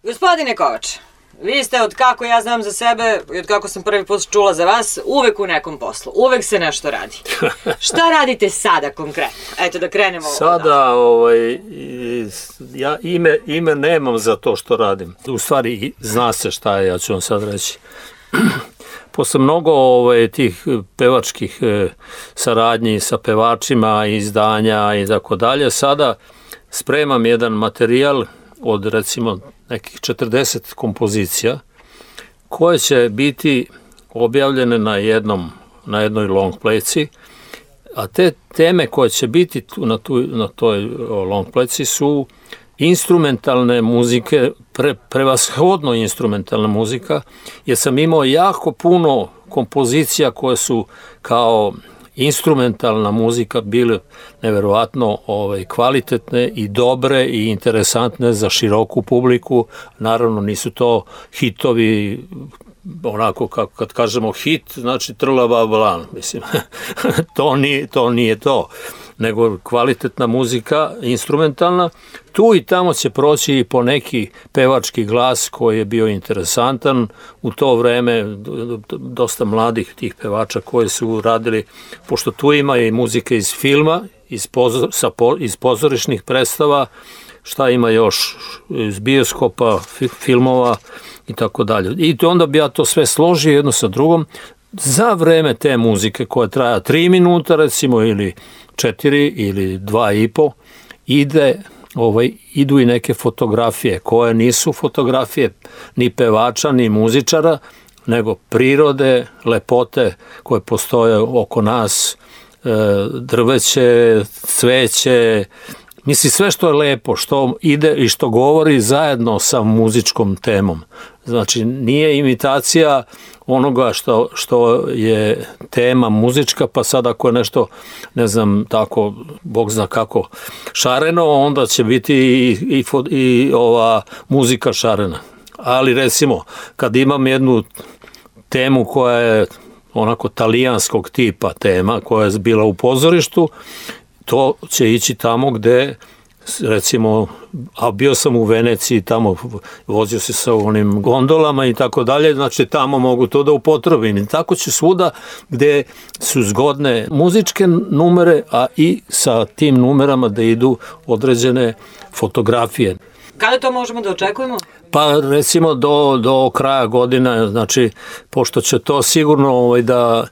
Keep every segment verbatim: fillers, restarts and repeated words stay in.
Gospodine Kovač, vi ste od kako ja znam za sebe i od kako sam prvi put čula za vas, uvek u nekom poslu, uvek se nešto radi. Šta radite sada konkretno? Eto da krenemo. Sada, ovaj, ja ime, ime nemam za to što radim. U stvari, zna se šta je, ja ću vam sad reći. Posle mnogo ovaj, tih pevačkih eh, saradnji sa pevačima, izdanja i tako dalje, sada spremam jedan materijal od recimo nekih četrdeset kompozicija koje će biti objavljene na jednom na jednoj long playci, a te teme koje će biti tu, na, tu, na toj long playci su instrumentalne muzike, pre, prevashodno instrumentalna muzika, jer sam imao jako puno kompozicija koje su kao instrumentalna muzika bile neverovatno ovaj, kvalitetne i dobre i interesantne za široku publiku. Naravno nisu to hitovi, onako kako kad kažemo hit, znači trlava blan, mislim. to, nije, to nije to, nego kvalitetna muzika, instrumentalna. Tu i tamo će proći i po neki pevački glas koji je bio interesantan. U to vreme dosta mladih tih pevača koji su radili, pošto tu ima i muzike iz filma, iz, pozor, sa, iz pozorišnih predstava, šta ima još, iz bioskopa, filmova i tako dalje. I onda bi ja to sve složio jedno sa drugom. Za vreme te muzike koja traja tri minuta recimo ili četiri ili dva i po, ide, ovaj, idu i neke fotografije koje nisu fotografije ni pevača ni muzičara, nego prirode, lepote koje postoje oko nas, drveće, cveće, misli sve što je lepo, što ide i što govori zajedno sa muzičkom temom. Znači nije imitacija onoga što, što je tema muzička, pa sad ako je nešto, ne znam, tako, Bog zna kako, šareno, onda će biti i, i, i ova muzika šarena. Ali recimo, kad imam jednu temu koja je onako talijanskog tipa tema, koja je bila u pozorištu, to će ići tamo gde, recimo, a bio sam u Veneciji, tamo vozio se sa onim gondolama i tako dalje, znači tamo mogu to da upotrebim. I tako će svuda gde su zgodne muzičke numere, a i sa tim numerama da idu određene fotografije. Kada to možemo da očekujemo? Pa recimo do, do kraja godina, znači, pošto će to sigurno ovaj, da,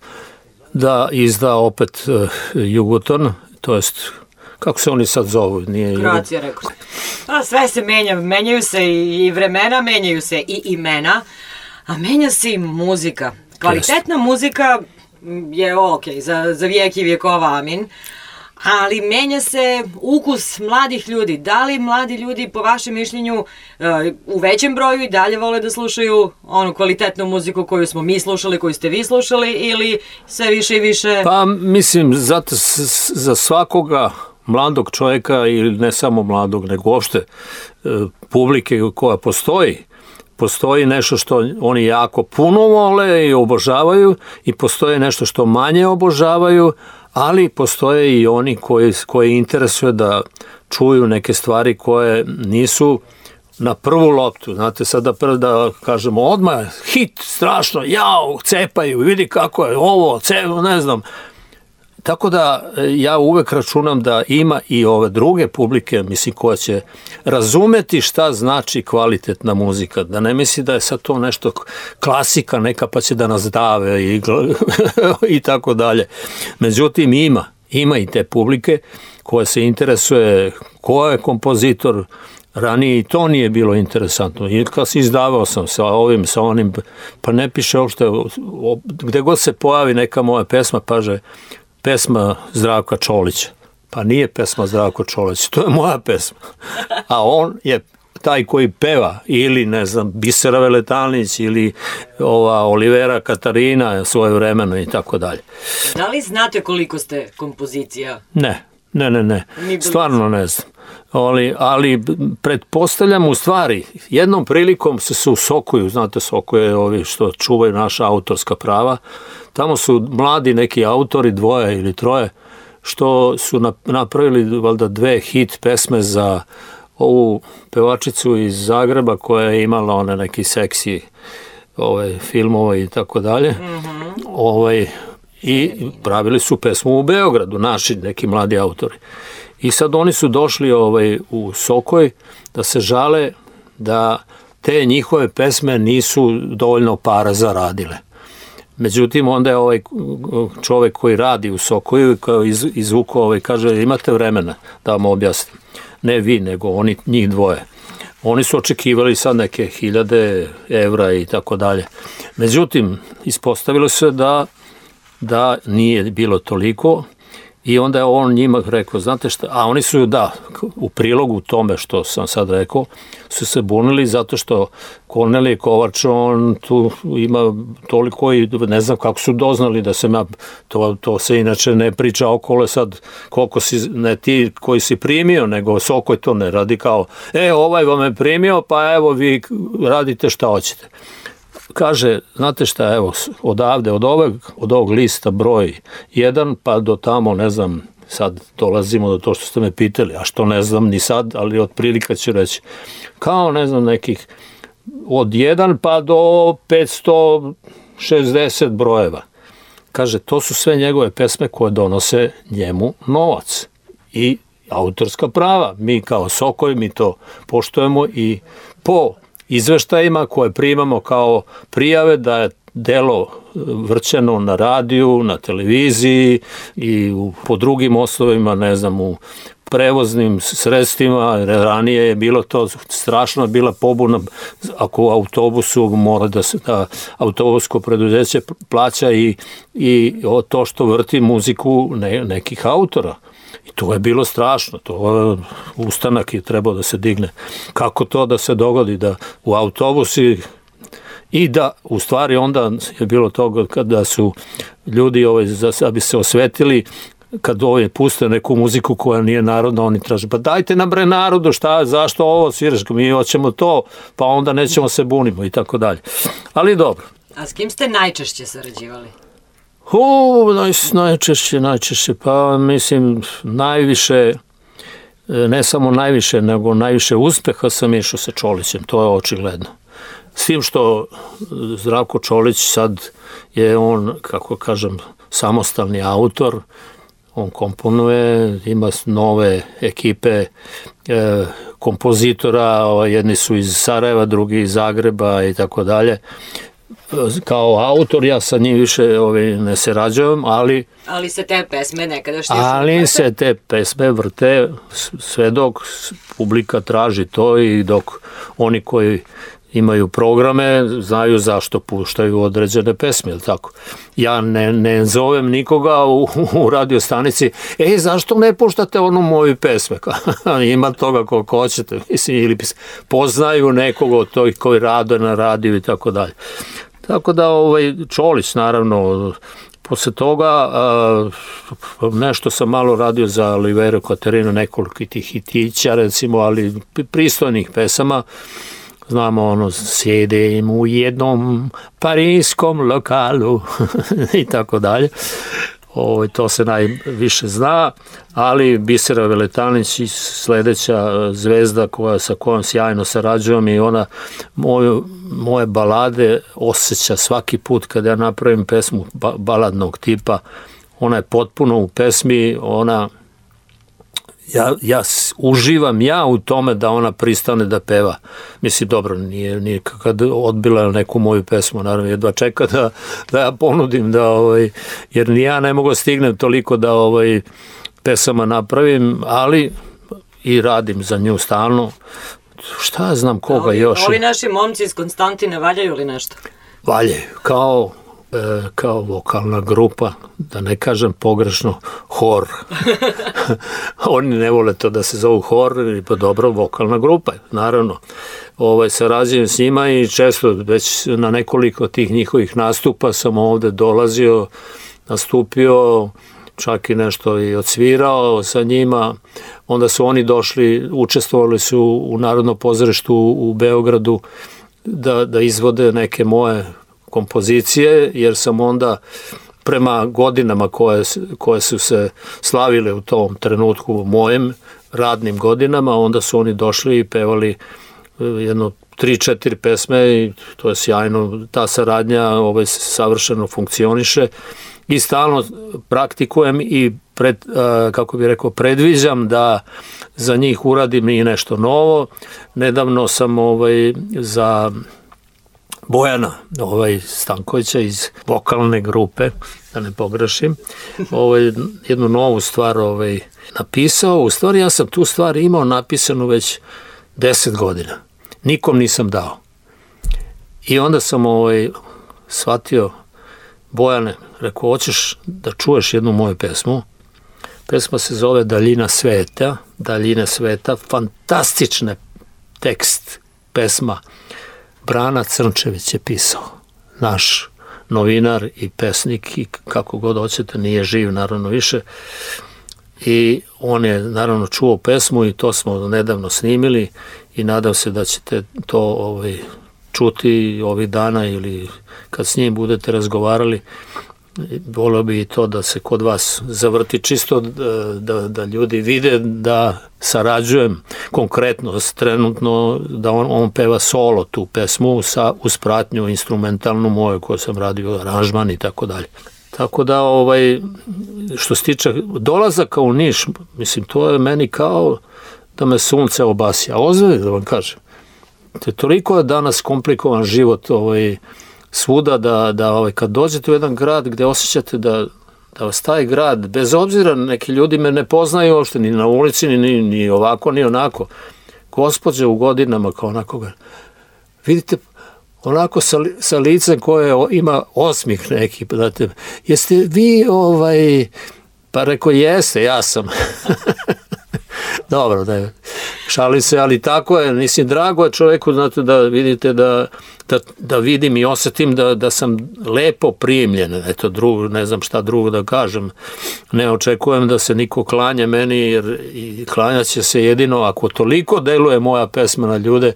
da izda opet uh, Jugoton, to jest, kako se oni sad zovu? Nije Kroacija, rekao se. A sve se menja, menjaju se i vremena, menjaju se i imena, a menja se i muzika. Kvalitetna Jest. muzika je ok, za, za vijek i vjekova, amin, ali menja se ukus mladih ljudi. Da li mladi ljudi, po vašem mišljenju, u većem broju i dalje vole da slušaju onu kvalitetnu muziku koju smo mi slušali, koju ste vi slušali, ili sve više i više? Pa mislim, zato za svakoga mladog čovjeka, ili ne samo mladog, nego uopšte publike koja postoji, postoji nešto što oni jako puno vole i obožavaju, i postoji nešto što manje obožavaju, ali postoje i oni koji, koji interesuje da čuju neke stvari koje nisu na prvu loptu. Znate, sada prvo da kažemo odmah hit, strašno, jao, cepaju, vidi kako je ovo, cepaju, ne znam. Tako da ja uvek računam da ima i ove druge publike, mislim, koja će razumeti šta znači kvalitetna muzika. Da ne misli da je sad to nešto klasika neka pa će da nas dave i, i tako dalje. Međutim, ima, ima i te publike koje se interesuje ko je kompozitor. Ranije i to nije bilo interesantno. I kad se izdavao sam sa ovim, sa onim, pa ne piše uopšte, gde god se pojavi neka moja pesma, paže, pesma Zdravka Čolića. Pa nije pesma Zdravko Čolić, to je moja pesma. A on je taj koji peva, ili ne znam, Bisera Veletalnić, ili ova Olivera Katarina svoje vremeno i tako dalje. Da li znate koliko ste kompozicija? Ne, ne, ne, ne. Stvarno ne znam. Ali, ali pretpostavljam u stvari, jednom prilikom se se usokuju, znate, sokuje ovi što čuvaju naša autorska prava, tamo su mladi neki autori, dvoje ili troje, što su napravili valjda dve hit pesme za ovu pevačicu iz Zagreba koja je imala one neki seksi ovaj, filmova i tako dalje. Ovaj, i pravili su pesmu u Beogradu, naši neki mladi autori. I sad oni su došli ovaj, u Sokoj da se žale da te njihove pesme nisu dovoljno para zaradile. Međutim, onda je ovaj čovek koji radi u Sokoju, koji iz, izvukao, ovaj, kaže, imate vremena da vam objasnim. Ne vi, nego oni, njih dvoje. Oni su očekivali sad neke hiljade evra i tako dalje. Međutim, ispostavilo se da, da nije bilo toliko i onda je on njima rekao, znate šta, a oni su, da, u prilogu tome što sam sad rekao, su se bunili zato što Kornelije Kovač, on tu ima toliko i ne znam kako su doznali da sam ja, to, to se inače ne priča okolo sad koliko si, ne ti koji si primio, nego Sokoj to ne radi kao, e, ovaj vam je primio, pa evo vi radite šta hoćete. Kaže, znate šta, evo, odavde, od ovog, od ovog lista broj jedan, pa do tamo, ne znam, sad dolazimo do to što ste me pitali, a što ne znam ni sad, ali od prilika ću reći, kao, ne znam, nekih od jedan pa do petsto šezdeset brojeva. Kaže, to su sve njegove pesme koje donose njemu novac i autorska prava. Mi kao Sokoj, mi to poštujemo i po izveštajima koje primamo kao prijave da je delo vrćeno na radiju, na televiziji i u, po drugim osnovima, ne znam, u prevoznim sredstvima, ranije je bilo to strašno, bila pobuna ako u autobusu mora da se da autobusko preduzeće plaća i, i to što vrti muziku ne, nekih autora. I to je bilo strašno, to ustanak je trebao da se digne. Kako to da se dogodi da u autobusi i da u stvari onda je bilo toga kada su ljudi ovaj, da bi se osvetili, kad ovaj puste neku muziku koja nije narodna, oni traže, pa dajte nam bre narodu, šta, zašto ovo sviraš, mi hoćemo to, pa onda nećemo se bunimo i tako dalje. Ali dobro. A s kim ste najčešće sarađivali? U, naj, najčešće, najčešće, pa mislim najviše, ne samo najviše, nego najviše uspeha sam išao sa Čolićem, to je očigledno. S tim što Zdravko Čolić sad je on, kako kažem, samostalni autor, on komponuje, ima nove ekipe e, kompozitora, jedni su iz Sarajeva, drugi iz Zagreba i tako dalje. Kao autor ja sa njim više ovaj, ne sarađujem, ali... Ali se te pesme nekadašnje... Ali se te pesme vrte sve dok publika traži to i dok oni koji imaju programe, znaju zašto puštaju određene pesme, ili tako. Ja ne, ne zovem nikoga u, u radiostanici, ej, zašto ne puštate onu moju pesme? Ima toga koliko hoćete, mislim, ili poznaju nekog od tih koji rade na radiju i tako dalje. Tako da, ovaj, Čolić, naravno, posle toga a, nešto sam malo radio za Oliveru Katarinu, nekoliko tih hitića, recimo, ali pristojnih pesama. Znamo ono, sjedim u jednom parijskom lokalu i tako dalje. Ovo, to se najviše zna, ali Bisera Veletanić i sledeća zvezda koja, sa kojom sjajno sarađujem i ona moju, moje balade osjeća svaki put kada ja napravim pesmu ba, baladnog tipa. Ona je potpuno u pesmi, ona... Ja, ja uživam ja u tome da ona pristane da peva. Mislim, dobro, nije, nije kad odbila neku moju pesmu, naravno, jedva čeka da, da ja ponudim, da, ovaj, jer ni ja ne mogu stignem toliko da ovaj, pesama napravim, ali i radim za nju stalno. Šta znam koga ovi, još? Ovi naši momci iz Konstantine valjaju li nešto? Valjaju, kao... kao vokalna grupa, da ne kažem pogrešno, hor. Oni ne vole to da se zovu hor, pa dobro, vokalna grupa, naravno. Ovaj, sarađujem s njima i često već na nekoliko tih njihovih nastupa sam ovde dolazio, nastupio, čak i nešto i odsvirao sa njima. Onda su oni došli, učestvovali su u Narodnom pozorištu u Beogradu da, da izvode neke moje kompozicije, jer sam onda prema godinama koje, koje su se slavile u tom trenutku mojem, radnim godinama, onda su oni došli i pevali jedno tri, četiri pesme i to je sjajno, ta saradnja ovaj, savršeno funkcioniše i stalno praktikujem i pred, kako bih rekao, predviđam da za njih uradim i nešto novo. Nedavno sam ovaj, za Bojana ovaj, Stankovića iz vokalne grupe, da ne pogrešim, ovaj, jednu novu stvar ovaj, napisao. U stvari ja sam tu stvar imao napisanu već deset godina. Nikom nisam dao. I onda sam ovaj, shvatio, Bojane, rekao, hoćeš da čuješ jednu moju pesmu? Pesma se zove Daljina sveta, Daljina sveta, fantastična tekst, pesma. Brana Crnčević je pisao, naš novinar i pesnik i kako god hoćete, nije živ naravno više. I on je naravno čuo pesmu i to smo nedavno snimili i nadam se da ćete to ovaj, čuti ovih dana ili kad s njim budete razgovarali. Volio bi i to da se kod vas zavrti čisto da, da, da ljudi vide da sarađujem konkretno, trenutno da on, on peva solo tu pesmu sa uz pratnju instrumentalnu moju koju sam radio, aranžman i tako dalje. Tako da ovaj, što se tiče dolazaka u Niš, mislim to je meni kao da me sunce obasi, a ozbiljno da vam kažem. To je toliko je danas komplikovan život ovaj, svuda da, da ovaj, kad dođete u jedan grad gde osjećate da, da vas taj grad, bez obzira neki ljudi me ne poznaju uopšte ni na ulici, ni, ni ovako, ni onako. Gospođe u godinama kao onako, vidite, onako sa, sa licem koje ima osmih neki, znate, jeste vi ovaj, pa rekao jeste, ja sam. Dobro, da je, šalim se, ali tako je, mislim, drago je čoveku, znate, da vidite da, da, da vidim i osetim da, da sam lepo primljen, eto, drugo, ne znam šta drugo da kažem, ne očekujem da se niko klanja meni, jer i klanja će se jedino ako toliko deluje moja pesma na ljude.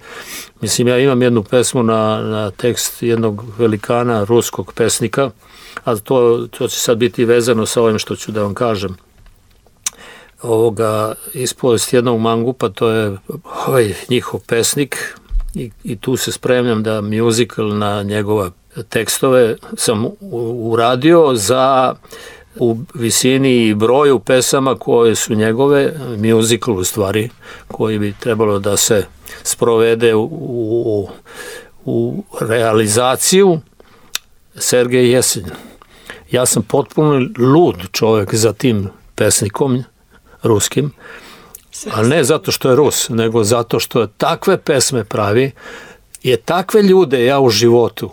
Mislim, ja imam jednu pesmu na, na tekst jednog velikana ruskog pesnika, a to, to će sad biti vezano sa ovim što ću da vam kažem. Ovoga ispovest jednog mangupa, to je ovaj njihov pesnik i, i tu se spremljam da musical na njegove tekstove sam uradio za u visini i broju pesama koje su njegove, musical u stvari, koji bi trebalo da se sprovede u, u, u realizaciju, Sergej Jesenjin. Ja sam potpuno lud čovjek za tim pesnikom ruskim, a ne zato što je Rus, nego zato što je takve pesme pravi, je takve ljude ja u životu,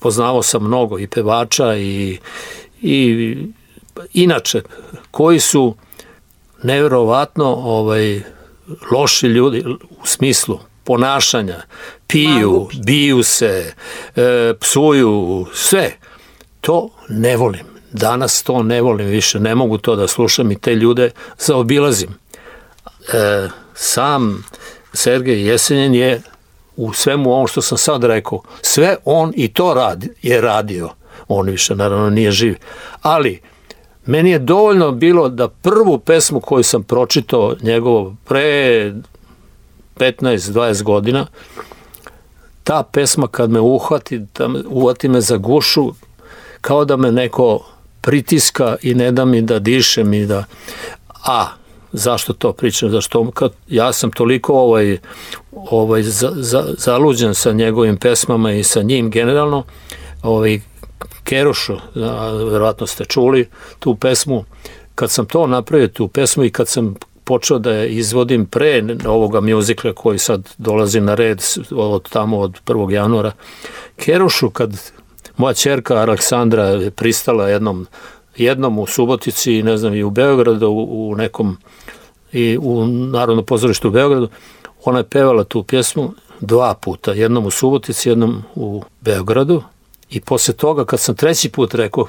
poznavao sam mnogo i pevača i, i inače, koji su nevjerovatno ovaj, loši ljudi u smislu ponašanja, piju, biju se, e, psuju, sve. To ne volim. Danas to ne volim više, ne mogu to da slušam i te ljude zaobilazim. E, sam Sergej Jesenjin je u svemu ovom što sam sad rekao, sve on i to radi, je radio. On više naravno nije živ. Ali meni je dovoljno bilo da prvu pesmu koju sam pročitao njegovo pre petnaest dvadeset godina, ta pesma kad me uhvati, da me, uhvati me za gušu, kao da me neko pritiska i ne da mi da dišem i da... A, zašto to pričam? Zašto kad ja sam toliko ovaj, ovaj, za, za, zaluđen sa njegovim pesmama i sa njim generalno, ovaj, Kerušu, verovatno ste čuli tu pesmu, kad sam to napravio tu pesmu i kad sam počeo da je izvodim pre ovoga mjuzikla koji sad dolazi na red od tamo od prvog januara, Kerušu kad moja ćerka Aleksandra je pristala jednom, jednom u Subotici i ne znam i u Beogradu, u, u nekom i u Narodnom pozorištu u Beogradu, ona je pevala tu pjesmu dva puta, jednom u Subotici, jednom u Beogradu i posle toga kad sam treći put rekao,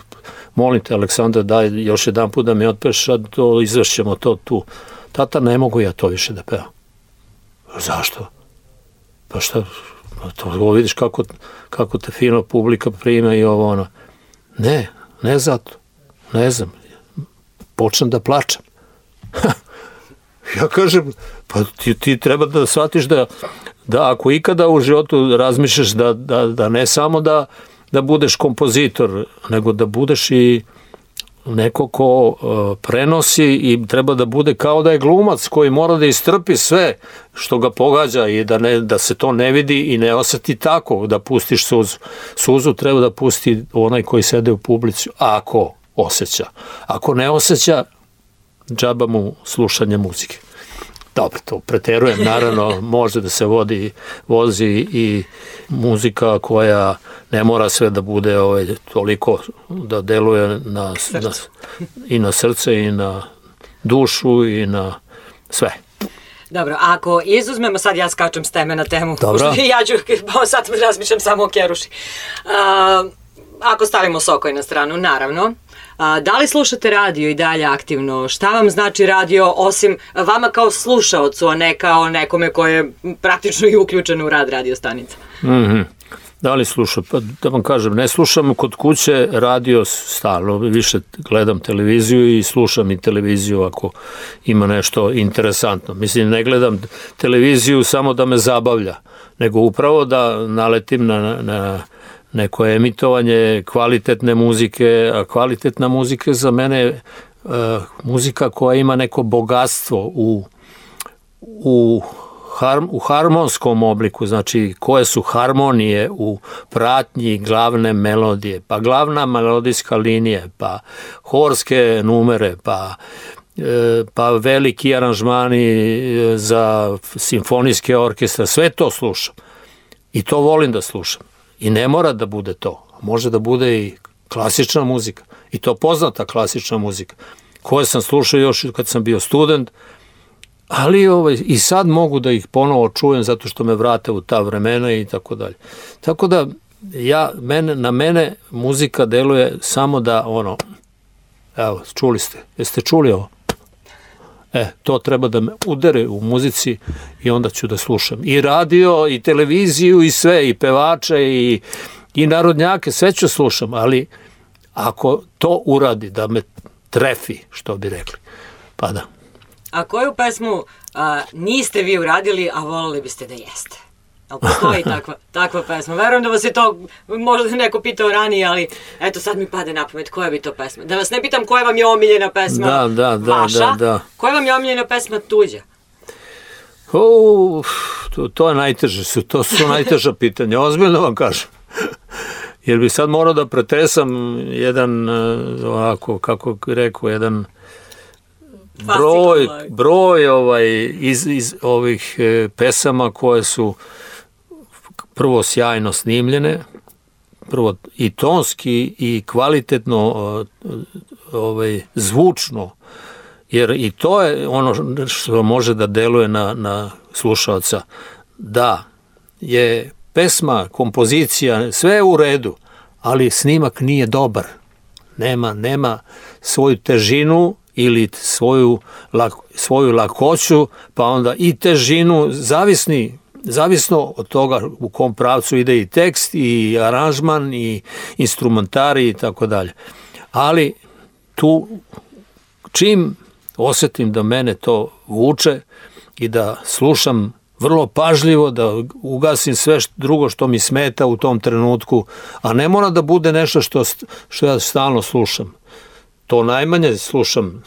molim te Aleksandra daj još jedan put da mi otpeš, a to izvršćemo to tu. Tata, ne mogu ja to više da pevam. Zašto? Pa šta, to vidiš kako, kako te fino publika prima i ovo ono. Ne, ne zato. Ne znam. Počnem da plačem. Ja kažem, pa ti, ti treba da shvatiš da, da ako ikada u životu razmišljaš da, da, da ne samo da, da budeš kompozitor, nego da budeš i neko ko uh, prenosi i treba da bude kao da je glumac koji mora da istrpi sve što ga pogađa i da, ne, da se to ne vidi i ne osjeti tako, da pustiš suzu. Suzu treba da pusti onaj koji sede u publici, ako osjeća. Ako ne osjeća, džaba mu slušanje muzike. Dobro, to preterujem, naravno, može da se vodi, vozi i muzika koja ne mora sve da bude ovaj, toliko da deluje na, na, i na srce i na dušu i na sve. Dobro, ako izuzmemo, sad ja skačem s teme na temu, dobro. Ja ću, sad razmišljam samo o Keruši. Uh, ako stavimo Sokoj na stranu, naravno. A, da li slušate radio i dalje aktivno? Šta vam znači radio, osim vama kao slušaocu, a ne kao nekome ko je praktično i uključen u rad radio stanica? Mm-hmm. Da li slušam? Pa da vam kažem, ne slušam kod kuće radio stalno, više gledam televiziju i slušam i televiziju ako ima nešto interesantno. Mislim, ne gledam televiziju samo da me zabavlja, nego upravo da naletim na... na neko emitovanje kvalitetne muzike, a kvalitetna muzika za mene je uh, muzika koja ima neko bogatstvo u, u, har, u harmonskom obliku, znači koje su harmonije u pratnji glavne melodije, pa glavna melodijska linija, pa horske numere, pa pa veliki aranžmani za simfonijske orkestre, sve to slušam i to volim da slušam. I ne mora da bude to. Može da bude i klasična muzika. I to poznata klasična muzika. Koje sam slušao još kad sam bio student. Ali ovaj, i sad mogu da ih ponovo čujem zato što me vrate u ta vremena i tako dalje. Tako da ja, mene, na mene muzika deluje samo da ono, evo, čuli ste. Jeste čuli ovo? E, to treba da me udere u muzici i onda ću da slušam. I radio, i televiziju, i sve, i pevače, i, i narodnjake, sve ću slušam, ali ako to uradi, da me trefi, što bi rekli, pa da. A koju pesmu a, niste vi uradili, a volili biste da jeste? Ali postoji takva, takva pesma. Verujem da vas je to možda neko pitao ranije, ali eto sad mi pade na pamet koja bi to pesma. Da vas ne pitam koja vam je omiljena pesma da, da, da, vaša, da, da. Koja vam je omiljena pesma tuđa? O, to, to je najteže, su, to su najteža pitanja, ozbiljno vam kažem. Jer bi sad morao da pretresam jedan, ovako, kako rekao, jedan broj, broj ovaj, iz, iz ovih pesama koje su prvo sjajno snimljene, prvo i tonski i kvalitetno ovaj, zvučno, jer i to je ono što može da deluje na, na slušalca, da je pesma, kompozicija, sve je u redu, ali snimak nije dobar, nema, nema svoju težinu ili svoju, svoju lakoću, pa onda i težinu, zavisni, zavisno od toga u kom pravcu ide i tekst, i aranžman, i instrumentari i tako dalje. Ali tu, čim osjetim da mene to vuče i da slušam vrlo pažljivo, da ugasim sve drugo što mi smeta u tom trenutku, a ne mora da bude nešto što, što ja stalno slušam. To najmanje slušam.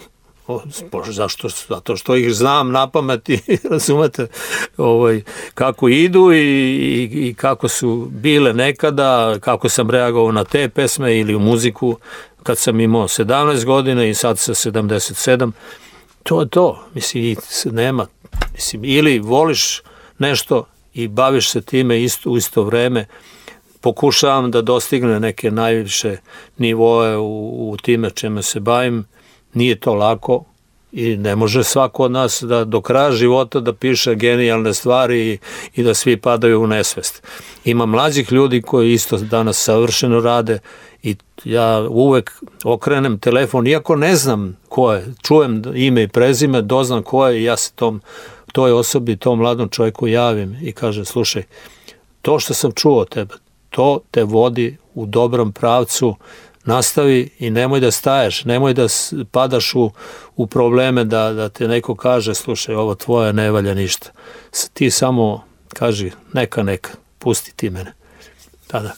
Zašto? Zato što ih znam na pamet i razumete ovaj, kako idu i, i, i kako su bile nekada, kako sam reagovao na te pesme ili u muziku kad sam imao sedamnaest godina i sad sa sedamdeset sedam. To je to. Mislim, nema. Mislim, ili voliš nešto i baviš se time isto, u isto vreme. Pokušavam da dostigne neke najviše nivoe u, u time čime se bavim. Nije to lako i ne može svako od nas da do kraja života da piše genijalne stvari i, i da svi padaju u nesvest. Ima mlađih ljudi koji isto danas savršeno rade i ja uvek okrenem telefon, iako ne znam ko je, čujem ime i prezime, doznam ko je i ja se tom, toj osobi, tom mladom čovjeku javim i kažem, slušaj, to što sam čuo od tebe, to te vodi u dobrom pravcu, nastavi i nemoj da staješ, nemoj da padaš u, u probleme da, da te neko kaže, slušaj, ovo tvoje ne valja ništa. Ti samo kaži, neka, neka, pusti ti mene. Da, da.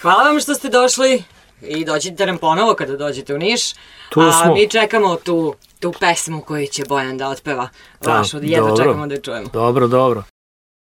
Hvala vam što ste došli i dođite nam ponovo kada dođete u Niš. Tu A smo. mi čekamo tu, tu pesmu koju će Bojan da otpeva. Vašu, jedva čekamo da je čujemo. Dobro, dobro.